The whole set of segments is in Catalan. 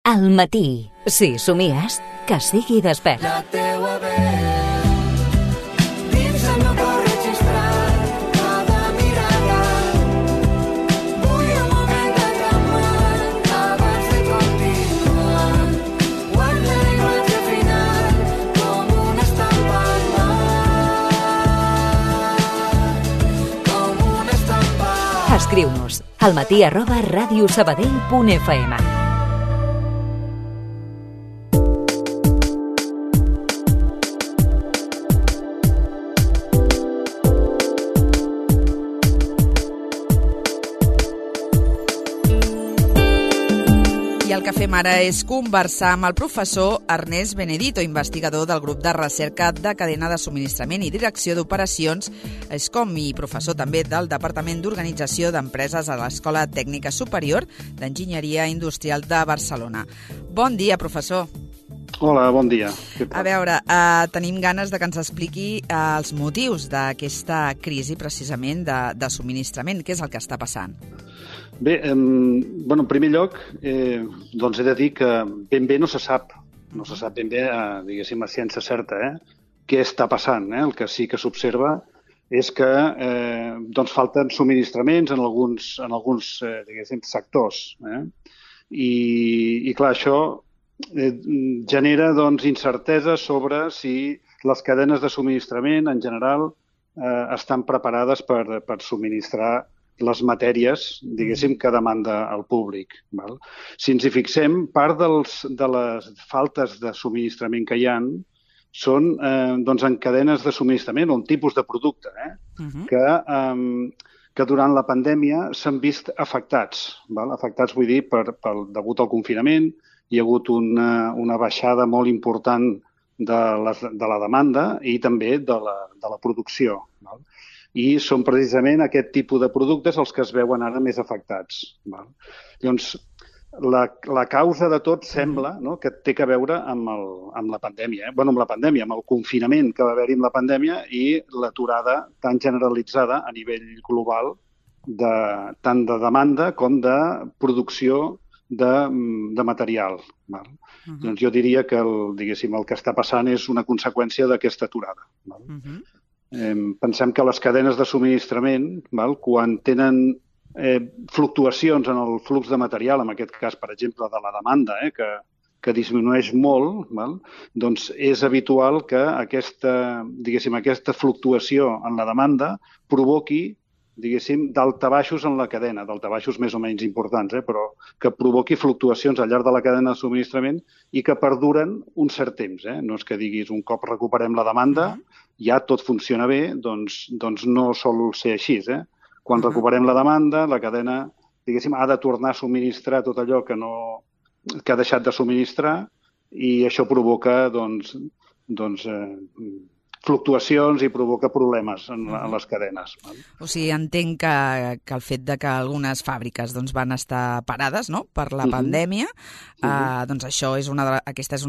Al matí, si somies, que sigui despert. La teua veu dins el meu cor registrat, cada mirada. Vull un moment de calma abans de continuar. Guarda l'imatge final com una estampa al mar, com una estampa. Escriu-nos almatí@radiosabadell.fm. El que fem ara és conversar amb el professor Ernest Benedito, investigador del grup de recerca de cadena de subministrament i direcció d'operacions ESCOM i professor també del Departament d'Organització d'Empreses a l'Escola Tècnica Superior d'Enginyeria Industrial de Barcelona. Bon dia, professor. Hola, bon dia. A veure, tenim ganes de que ens expliqui els motius d'aquesta crisi precisament de subministrament. Què és el que està passant? Bé, en primer lloc, doncs he de dir que ben bé no se sap ben bé, diguéssim, a ciència certa, què està passant. El que sí que s'observa és que doncs falten subministraments en alguns diguéssim, sectors. I clar, això genera doncs, incertesa sobre si les cadenes de subministrament en general estan preparades per subministrar les matèries, diguéssim, que demanda el públic. Val? Si ens hi fixem, part de les faltes de subministrament que hi ha són doncs, en cadenes de subministrament o un tipus de producte que durant la pandèmia s'han vist afectats. Val? Afectats, vull dir, degut al confinament, hi ha hagut una baixada molt important de la demanda i també de la producció. Val? I són precisament aquest tipus de productes els que es veuen ara més afectats. Val? Llavors, la causa de tot sembla que té a veure amb la pandèmia. Amb la pandèmia, amb el confinament que va haver-hi amb la pandèmia i l'aturada tan generalitzada a nivell global tant de demanda com de producció de material. Val? Doncs jo diria que el que està passant és una conseqüència d'aquesta aturada. Val? Pensem que les cadenes de subministrament, quan tenen fluctuacions en el flux de material, en aquest cas, per exemple, de la demanda, que disminueix molt, doncs és habitual que aquesta fluctuació en la demanda provoqui daltabaixos en la cadena, daltabaixos més o menys importants, però que provoqui fluctuacions al llarg de la cadena de subministrament i que perduren un cert temps. No és que diguis un cop recuperem la demanda, ja tot funciona bé, doncs no sol ser així. Quan recuperem la demanda, la cadena, ha de tornar a subministrar tot allò que ha deixat de subministrar i això provoca, fluctuacions i provoca problemes en les cadenes. O sigui, entenc que el fet de que algunes fàbriques van estar parades per la pandèmia, doncs aquesta és una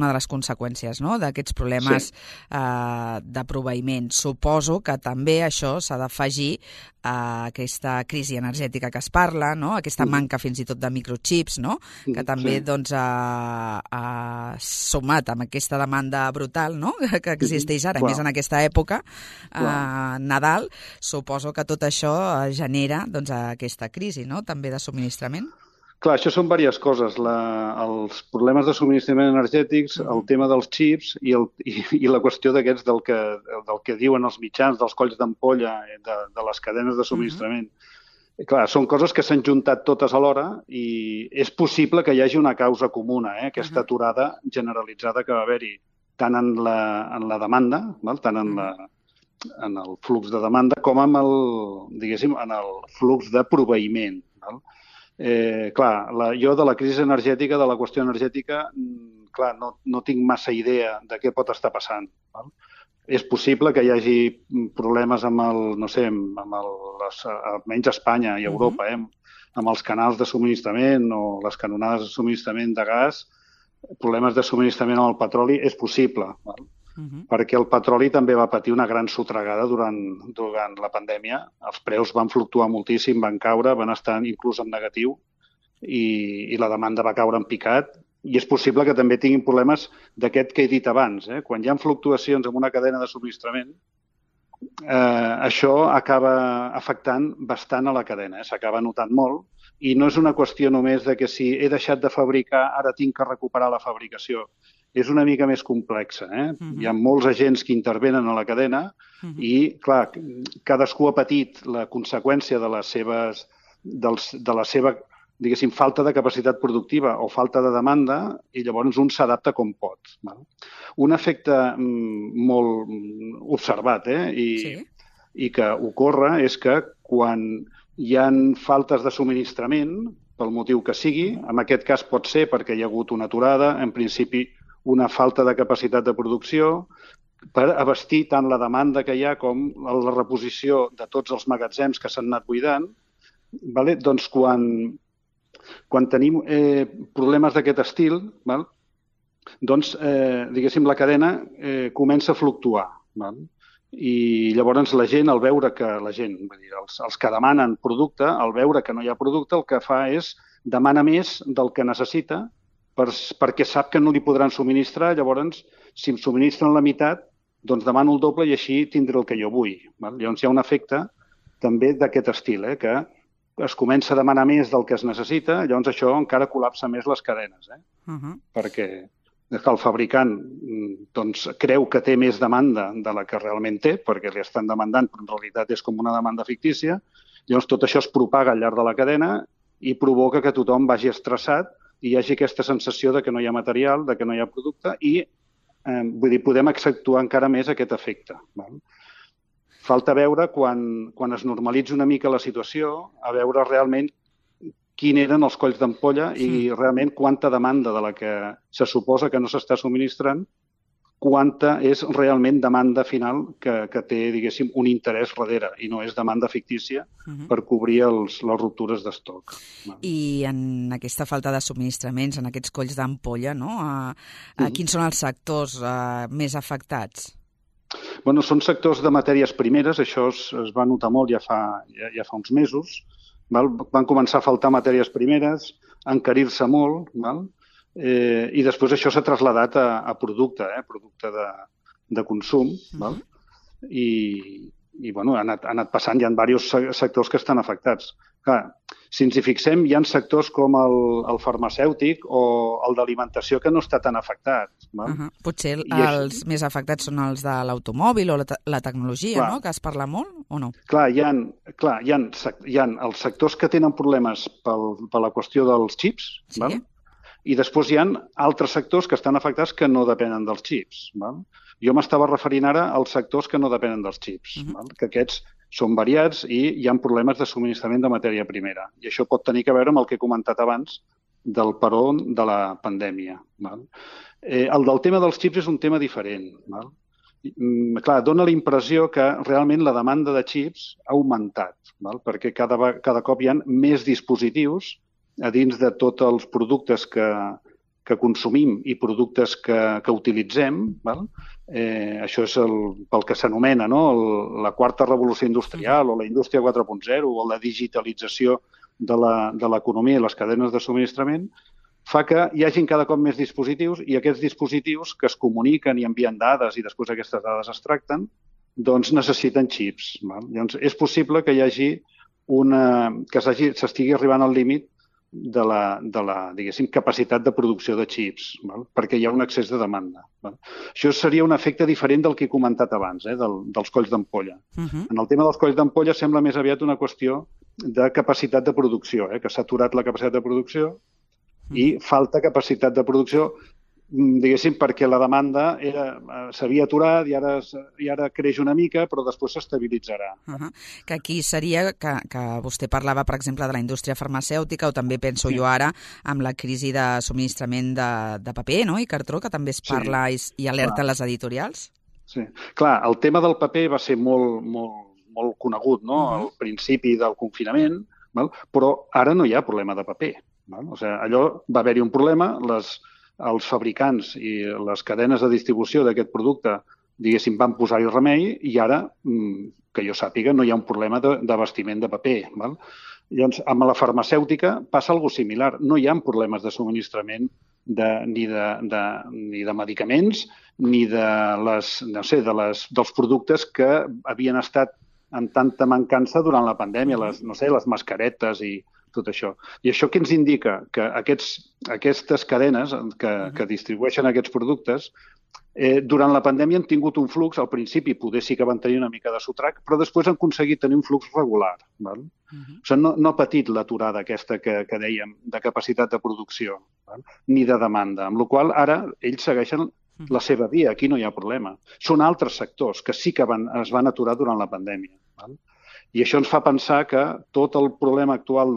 de les conseqüències d'aquests problemes de proveïment. Suposo que també això s'ha d'afegir a aquesta crisi energètica que es parla, aquesta manca fins i tot de microchips, que també ha sumat amb aquesta demanda brutal que existeix ara, més en aquesta època, Nadal, suposo que tot això genera aquesta crisi, també de subministrament. Clar, això són diverses coses. Els problemes de subministrament energètics, el tema dels xips i la qüestió d'aquests del que diuen els mitjans, dels colls d'ampolla de les cadenes de subministrament. Clar, són coses que s'han juntat totes alhora i és possible que hi hagi una causa comuna, aquesta aturada generalitzada que va haver-hi tant en la demanda, tant en el flux de demanda com en el flux de proveïment. Clar, jo de la crisi energètica, de la qüestió energètica, clar, no tinc massa idea de què pot estar passant. És possible que hi hagi problemes almenys a Espanya i a Europa, amb els canals de subministrament o les canonades de subministrament de gas, problemes de subministrament amb el petroli, és possible, perquè el petroli també va patir una gran sotragada durant la pandèmia. Els preus van fluctuar moltíssim, van caure, van estar inclús en negatiu i la demanda va caure en picat I és possible que també tinguin problemes d'aquest que he dit abans. Quan hi ha fluctuacions en una cadena de subministrament, això acaba afectant bastant a la cadena, s'acaba notant molt, i no és una qüestió només de que si he deixat de fabricar, ara tinc que recuperar la fabricació. És una mica més complexa. Hi ha molts agents que intervenen a la cadena i, clar, cadascú ha patit la conseqüència de la seva, diguéssim, falta de capacitat productiva o falta de demanda i llavors un s'adapta com pot. Un efecte molt observat i que ocorre és que quan hi ha faltes de subministrament, pel motiu que sigui, en aquest cas pot ser perquè hi ha hagut una aturada, en principi una falta de capacitat de producció, per abastir tant la demanda que hi ha com la reposició de tots els magatzems que s'han anat buidant, doncs quan tenim problemes d'aquest estil, doncs, diguéssim, la cadena comença a fluctuar. I llavors la gent, al veure que els que demanen producte, al veure que no hi ha producte, el que fa és demanar més del que necessita perquè sap que no li podran subministrar. Llavors, si em subministren la meitat, doncs demano el doble i així tindré el que jo vull. Llavors hi ha un efecte també d'aquest estil, que es comença a demanar més del que es necessita, llavors això encara col·lapsa més les cadenes, perquè el fabricant doncs, creu que té més demanda de la que realment té, perquè li estan demandant, però en realitat és com una demanda fictícia. Llavors tot això es propaga al llarg de la cadena i provoca que tothom vagi estressat i hi hagi aquesta sensació de que no hi ha material, de que no hi ha producte i podem accentuar encara més aquest efecte. Falta veure, quan es normalitzi una mica la situació, a veure realment quins eren els colls d'ampolla i realment quanta demanda de la que se suposa que no s'està subministrant, quanta és realment demanda final que té, diguéssim, un interès darrere i no és demanda fictícia per cobrir les ruptures d'estoc. I en aquesta falta de subministraments, en aquests colls d'ampolla, quins són els sectors més afectats? Bueno, són sectors de matèries primeres, això es va notar molt ja fa uns mesos. Van començar a faltar matèries primeres, a encarir-se molt, i després això s'ha traslladat a producte de consum, i bueno, ha anat passant, hi ha diversos sectors que estan afectats. Clar, si ens hi fixem, hi ha sectors com el farmacèutic o el d'alimentació que no està tan afectat. Potser els més afectats són els de l'automòbil o la tecnologia, no? Que es parla molt, o no? Clar, hi ha els sectors que tenen problemes per la qüestió dels xips, i després hi ha altres sectors que estan afectats que no depenen dels xips. Jo m'estava referint ara als sectors que no depenen dels xips, que aquests són variats i hi ha problemes de subministrament de matèria primera. I això pot tenir a veure amb el que he comentat abans del paró de la pandèmia. El del tema dels xips és un tema diferent. Clar, dona la impressió que realment la demanda de xips ha augmentat, perquè cada cop hi ha més dispositius a dins de tots els productes que consumim i productes que utilitzem. Això és pel que s'anomena la quarta revolució industrial o la indústria 4.0 o la digitalització de l'economia i les cadenes de subministrament, fa que hi hagin cada cop més dispositius i aquests dispositius que es comuniquen i envien dades i després aquestes dades es tracten, doncs necessiten xips. Llavors, és possible que hi hagi que s'estigui arribant al límit de la diguéssim, capacitat de producció de xips, perquè hi ha un excés de demanda. Això seria un efecte diferent del que he comentat abans, dels colls d'ampolla. En el tema dels colls d'ampolla sembla més aviat una qüestió de capacitat de producció, que s'ha aturat la capacitat de producció i falta capacitat de producció, diguéssim, perquè la demanda s'havia aturat i ara creix una mica, però després s'estabilitzarà. Que aquí seria que vostè parlava, per exemple, de la indústria farmacèutica, o també penso jo ara amb la crisi de subministrament de paper i cartró, que també es parla i alerta les editorials. Sí, clar, el tema del paper va ser molt conegut al principi del confinament, però ara no hi ha problema de paper. Allò va haver-hi un problema, els fabricants i les cadenes de distribució d'aquest producte, diguéssim, van posar-hi remei i ara, que jo sàpiga, no hi ha un problema d'abastiment de paper. Llavors, amb la farmacèutica passa alguna cosa similar. No hi ha problemes de subministrament ni de medicaments, ni dels productes que havien estat en tanta mancança durant la pandèmia, les mascaretes i tot això. I això què ens indica? Que aquestes cadenes que distribueixen aquests productes durant la pandèmia han tingut un flux, al principi poder sí que van tenir una mica de sotrac, però després han aconseguit tenir un flux regular. Val? O sigui, no ha patit l'aturada aquesta que dèiem de capacitat de producció, val? Ni de demanda, amb la qual cosa ara ells segueixen la seva via, aquí no hi ha problema. Són altres sectors que sí que es van aturar durant la pandèmia. Val? I això ens fa pensar que tot el problema actual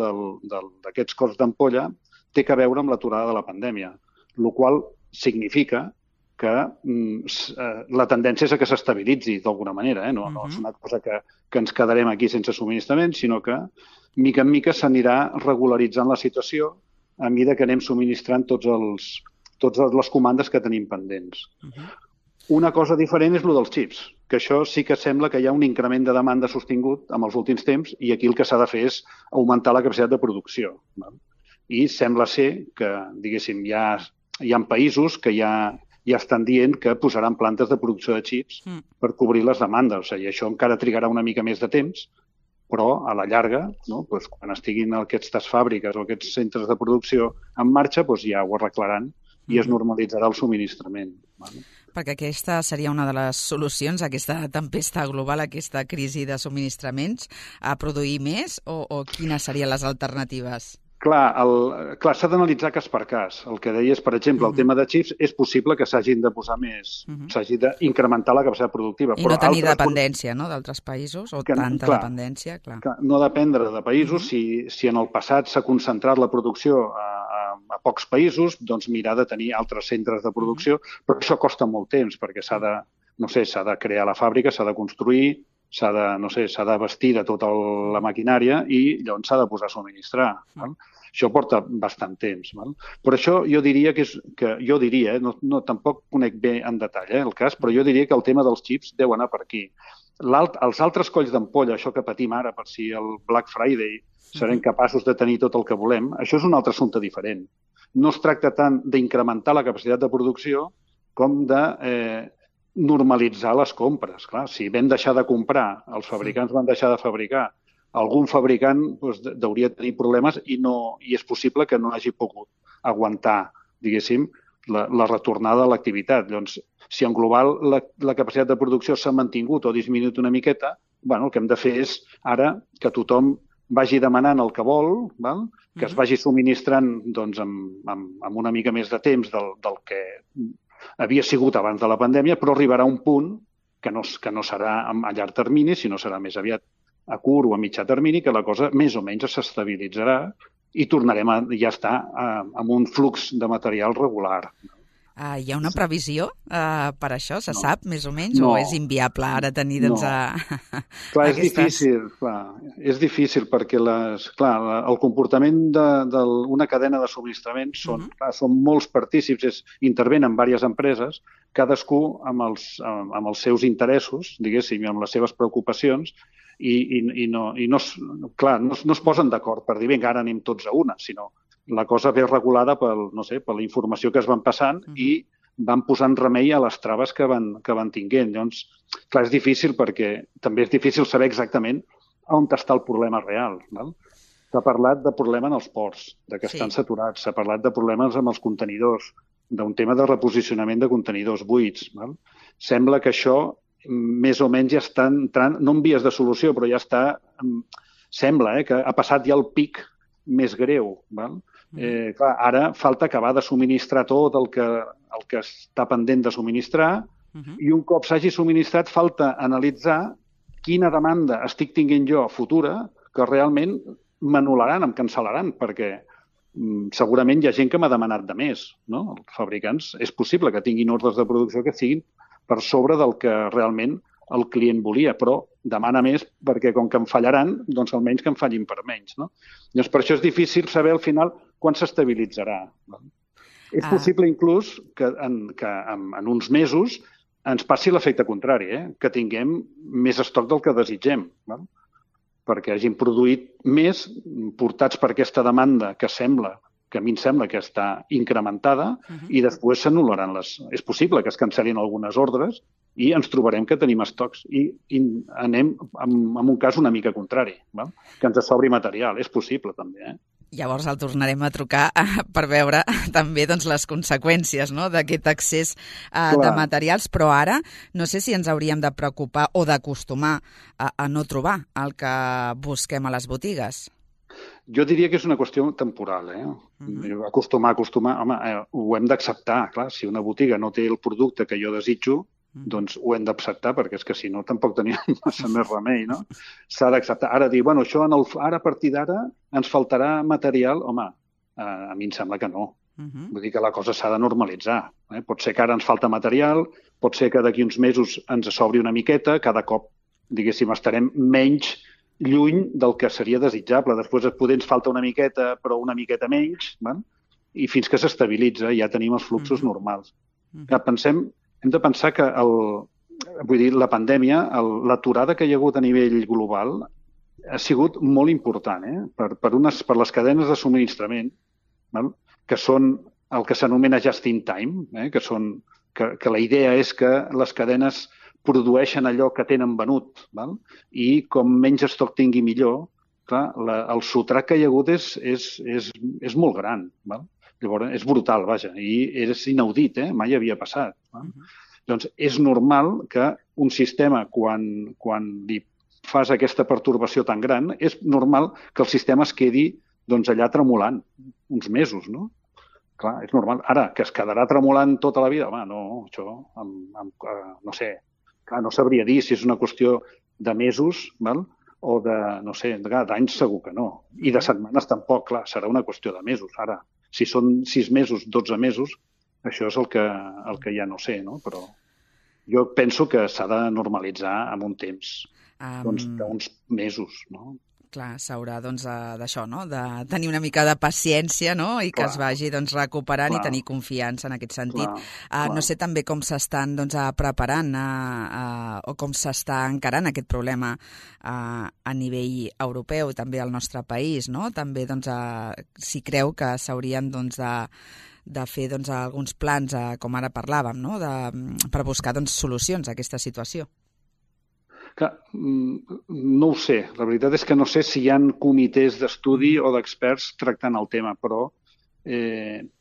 d'aquests cors d'ampolla té a veure amb l'aturada de la pandèmia, el qual significa que la tendència és a que s'estabilitzi d'alguna manera. No és una cosa que ens quedarem aquí sense subministrament, sinó que, mica en mica, s'anirà regularitzant la situació a mesura que anem subministrant totes les comandes que tenim pendents. Una cosa diferent és el dels xips, que això sí que sembla que hi ha un increment de demanda sostingut en els últims temps i aquí el que s'ha de fer és augmentar la capacitat de producció. I sembla ser que, diguéssim, hi ha països que ja estan dient que posaran plantes de producció de xips per cobrir les demandes. O sigui, això encara trigarà una mica més de temps, però a la llarga, quan estiguin aquestes fàbriques o aquests centres de producció en marxa, ja ho arreglaran i es normalitzarà el subministrament. Perquè aquesta seria una de les solucions, aquesta tempesta global, aquesta crisi de subministraments, a produir més o quines serien les alternatives? Clar, s'ha d'analitzar cas per cas. El que deies, per exemple, el tema de xips, és possible que s'hagin de posar més, s'hagi d'incrementar la capacitat productiva. I no tenir dependència d'altres països, o tanta dependència, clar. No dependre de països. Si en el passat s'ha concentrat la producció a pocs països, doncs mirar de tenir altres centres de producció, però això costa molt temps, perquè s'ha de crear la fàbrica, s'ha de construir, s'ha de vestir de tota la maquinària i llavors s'ha de posar a subministrar. Això porta bastant temps. Per això jo diria tampoc conec bé en detall el cas, però jo diria que el tema dels xips deu anar per aquí. Els altres colls d'ampolla, això que patim ara, per si el Black Friday serem capaços de tenir tot el que volem, això és un altre assumpte diferent. No es tracta tant d'incrementar la capacitat de producció com de normalitzar les compres. Clar, si vam deixar de comprar, els fabricants van deixar de fabricar, algun fabricant hauria de tenir problemes i és possible que no hagi pogut aguantar, diguéssim, la retornada a l'activitat. Llavors, si en global la capacitat de producció s'ha mantingut o disminuït una miqueta, el que hem de fer és ara que tothom vagi demanant el que vol, que es vagi subministrant amb una mica més de temps del que havia sigut abans de la pandèmia, però arribarà un punt que no serà a llarg termini, sinó serà més aviat a curt o a mitjà termini, que la cosa més o menys s'estabilitzarà i tornarem a ja estar amb un flux de material regular. Hi ha una previsió per això? Se sap, més o menys? O és inviable ara tenir Clar, és difícil perquè el comportament d'una cadena de subministrament són molts partícips, intervenen diverses empreses, cadascú amb els seus interessos, diguéssim, i amb les seves preocupacions, i no es posen d'acord per dir, vinga, ara anem tots a una, sinó la cosa ve regulada per la informació que es van passant i van posant remei a les traves que van tinguent. Llavors, clar, és difícil perquè també és difícil saber exactament on està el problema real. S'ha parlat de problema en els ports, que estan saturats, s'ha parlat de problemes amb els contenidors, d'un tema de reposicionament de contenidors buits. Sembla que això més o menys ja està entrant, no en vies de solució, però ja està, sembla que ha passat ja el pic més greu. Clar, ara falta acabar de subministrar tot el que està pendent de subministrar i un cop s'hagi subministrat falta analitzar quina demanda estic tinguent jo futura que realment m'anul·laran, em cancel·laran, perquè segurament hi ha gent que m'ha demanat de més. Els fabricants és possible que tinguin ordres de producció que siguin per sobre del que realment el client volia, però demana més perquè com que em fallaran, doncs almenys que em fallin per menys. Llavors, per això és difícil saber al final quan s'estabilitzarà. És possible inclús que en uns mesos ens passi l'efecte contrari, que tinguem més estoc del que desitgem, perquè hagin produït més portats per aquesta demanda que sembla que a mi em sembla que està incrementada, i després s'anul·laran És possible que es cancel·lin algunes ordres i ens trobarem que tenim estocs i anem en un cas una mica contrari, val? Que ens sobri material. És possible, també, Llavors el tornarem a trucar per veure també doncs, les conseqüències, no?, d'aquest accés de materials, però ara no sé si ens hauríem de preocupar o d'acostumar a no trobar el que busquem a les botigues. Jo diria que és una qüestió temporal, Acostumar, home, ho hem d'acceptar, clar, si una botiga no té el producte que jo desitjo, doncs ho hem d'acceptar, perquè és que si no tampoc teníem massa més remei, no? S'ha d'acceptar. Ara dir, bueno, això ara a partir d'ara ens faltarà material, home, a mi em sembla que no. Vull dir que la cosa s'ha de normalitzar. Pot ser que ara ens falta material, pot ser que d'aquí uns mesos ens s'obri una miqueta, cada cop, diguéssim, estarem menys lluny del que seria desitjable. Després poder ens falta una miqueta, però una miqueta menys, i fins que s'estabilitza ja tenim els fluxos normals. Hem de pensar que la pandèmia, l'aturada que hi ha hagut a nivell global ha sigut molt important per les cadenes de subministrament, que són el que s'anomena just in time, que la idea és que les cadenes produeixen allò que tenen venut, i com menys estoc tingui millor, clar, el sotrac que hi ha hagut és molt gran. Llavors, és brutal, vaja, i és inaudit, mai havia passat. Doncs és normal que un sistema, quan li fas aquesta pertorbació tan gran, és normal que el sistema es quedi allà tremolant uns mesos, no? Clar, és normal. Ara, que es quedarà tremolant tota la vida, home, no, això, no sé, clar, no sabria dir si és una qüestió de mesos, o de, no sé, d'anys segur que no. I de setmanes tampoc, clar, serà una qüestió de mesos. Ara, si són 6 mesos, 12 mesos, això és el que ja no sé, no? Però jo penso que s'ha de normalitzar en un temps d'uns mesos, no? Clar, s'haurà d'això, no?, de tenir una mica de paciència, no?, i que es vagi recuperant i tenir confiança en aquest sentit. No sé també com s'estan preparant o com s'està encarant aquest problema a nivell europeu i també al nostre país, no? També si creu que s'haurien de fer alguns plans, com ara parlàvem, no?, per buscar solucions a aquesta situació. No ho sé. La veritat és que no sé si hi ha comitès d'estudi o d'experts tractant el tema, però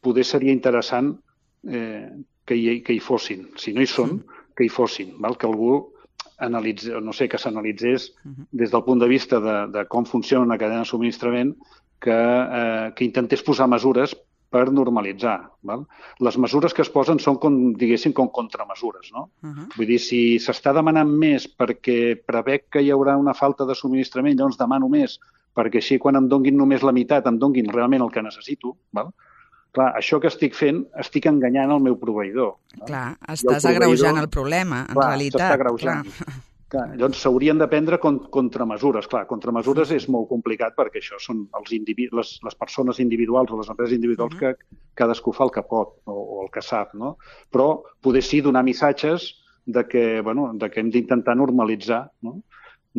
poder seria interessant que hi fossin. Si no hi són, que hi fossin. Que algú que s'analitzés des del punt de vista de com funciona una cadena de subministrament, que intentés posar mesures per normalitzar. Les mesures que es posen són, diguéssim, com contramesures, no? Vull dir, si s'està demanant més perquè prevec que hi haurà una falta de subministrament, llavors demano més, perquè així quan em donguin només la meitat, em donguin realment el que necessito, clar, això que estic fent, estic enganyant el meu proveïdor. Clar, estàs agreujant el problema, en realitat. S'està agreujant. Llavors s'haurien de prendre contramesures. Clar, contramesures és molt complicat perquè això són les persones individuals o les empreses individuals que cadascú fa el que pot o el que sap, no? Però poder sí donar missatges que hem d'intentar normalitzar, no?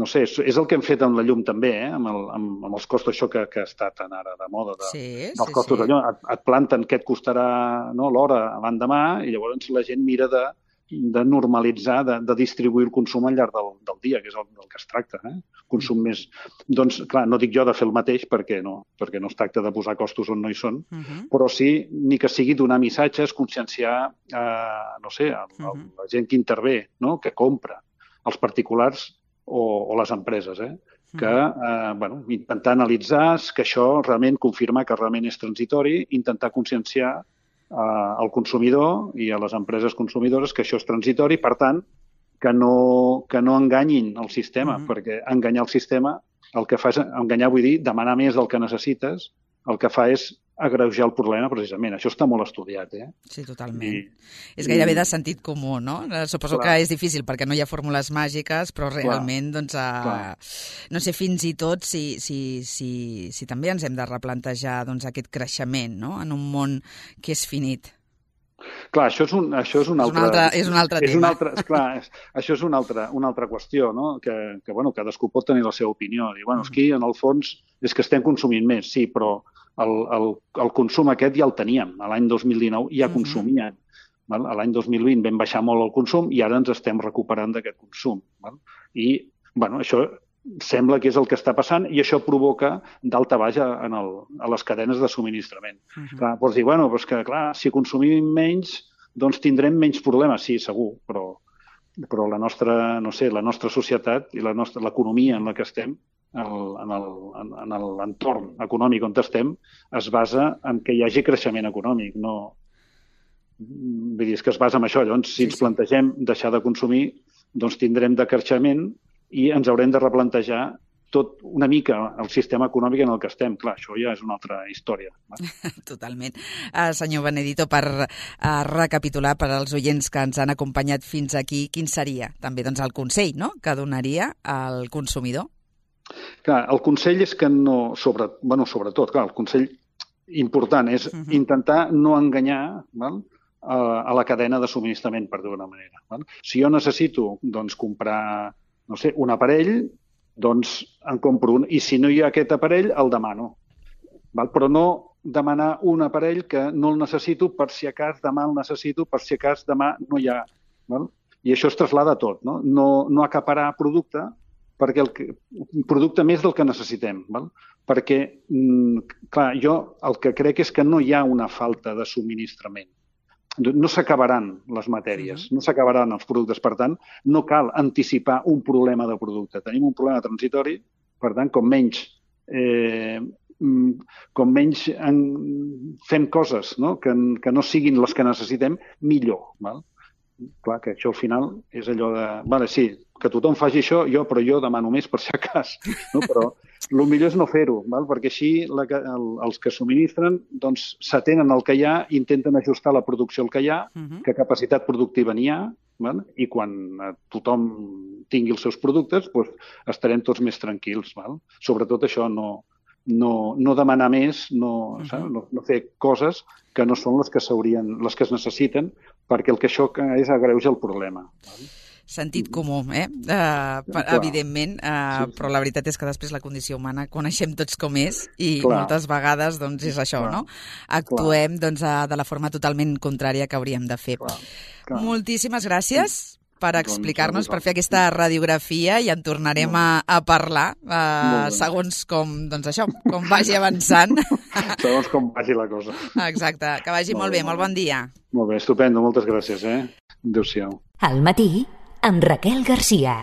No sé, és el que hem fet amb la llum també, amb els costos, això que està tan ara de moda, dels costos de llum. Et planten què et costarà l'hora l'endemà i llavors la gent mira de normalitzar, de distribuir el consum al llarg del dia, que és del que es tracta. Consum més... Doncs, clar, no dic jo de fer el mateix perquè no es tracta de posar costos on no hi són, però sí, ni que sigui donar missatges, conscienciar, no sé, la gent que intervé, que compra, els particulars o les empreses, que intentar analitzar que això realment confirma que realment és transitori, intentar conscienciar al consumidor i a les empreses consumidores que això és transitori, per tant, que no enganyin el sistema, perquè enganyar el sistema, el que fa és enganyar, vull dir, demanar més del que necessites, el que fa és agreujar el problema, precisament. Això està molt estudiat, Sí, totalment. És gairebé de sentit comú, no? Suposo que és difícil perquè no hi ha fórmules màgiques, però realment, no sé fins i tot si també ens hem de replantejar aquest creixement, no?, en un món que és finit. Clar, això és un altre tema. Això és una altra qüestió, no? Que cadascú pot tenir la seva opinió. Dir, aquí, en el fons, és que estem consumint més, sí, però el consum aquest ja el teníem. A l'any 2019 ja consumien. Val? A l'any 2020 vam baixar molt el consum i ara ens estem recuperant d'aquest consum. Val? I això sembla que és el que està passant i això provoca dalta baix a les cadenes de subministrament. Clar, pots dir, doncs que clar, si consumim menys, doncs tindrem menys problemes. Sí, segur, però la nostra, no sé, la nostra societat i l'economia en la que estem, en l'entorn econòmic on estem, es basa en que hi hagi creixement econòmic. No, vull dir, és que es basa en això. Llavors, si ens plantegem deixar de consumir, doncs tindrem decreixement i ens haurem de replantejar tot una mica el sistema econòmic en el que estem. Clar, això ja és una altra història. Totalment. Senyor Benedito, per recapitular per als oients que ens han acompanyat fins aquí, quin seria també doncs, el consell, no?, que donaria al consumidor? Clar, el consell és que no... Sobretot, clar, el consell important és intentar no enganyar, val?, a la cadena de subministrament, per dir-ho d'una manera. Val? Si jo necessito doncs, comprar, no sé, un aparell, doncs en compro un. I si no hi ha aquest aparell, el demano. Val? Però no demanar un aparell que no el necessito per si a cas demà el necessito, per si a cas demà no hi ha. Val? I això es traslada a tot, no? No acaparar producte, perquè producte més del que necessitem. Val? Perquè, clar, jo el que crec és que no hi ha una falta de subministrament. No s'acabaran les matèries, no s'acabaran els productes. Per tant, no cal anticipar un problema de producte. Tenim un problema transitori, per tant, com menys fem coses, no?, que no siguin les que necessitem, millor. Val? Clar, que això al final és allò de... Vale, sí, que tothom faci això, però jo demano més per si a cas. No? Però el millor és no fer-ho, perquè així els que subministren doncs, s'atenen al que hi ha, intenten ajustar la producció al que hi ha, que capacitat productiva n'hi ha, i quan tothom tingui els seus productes doncs, estarem tots més tranquils. Sobretot això, no demanar més, no fer coses que no són les que es necessiten, perquè el que això és agreuja el problema. Sentit comú, evidentment, però la veritat és que després la condició humana coneixem tots com és i moltes vegades doncs, és això, no? Actuem doncs, de la forma totalment contrària que hauríem de fer. Moltíssimes gràcies per explicar-nos, per fer aquesta radiografia i en tornarem a parlar segons com, doncs això, com vagi avançant. Segons com vagi la cosa. Exacte, que vagi molt bé, molt bon dia. Molt bé, estupendo, moltes gràcies. Adéu-siau. Al matí, amb Raquel Garcia.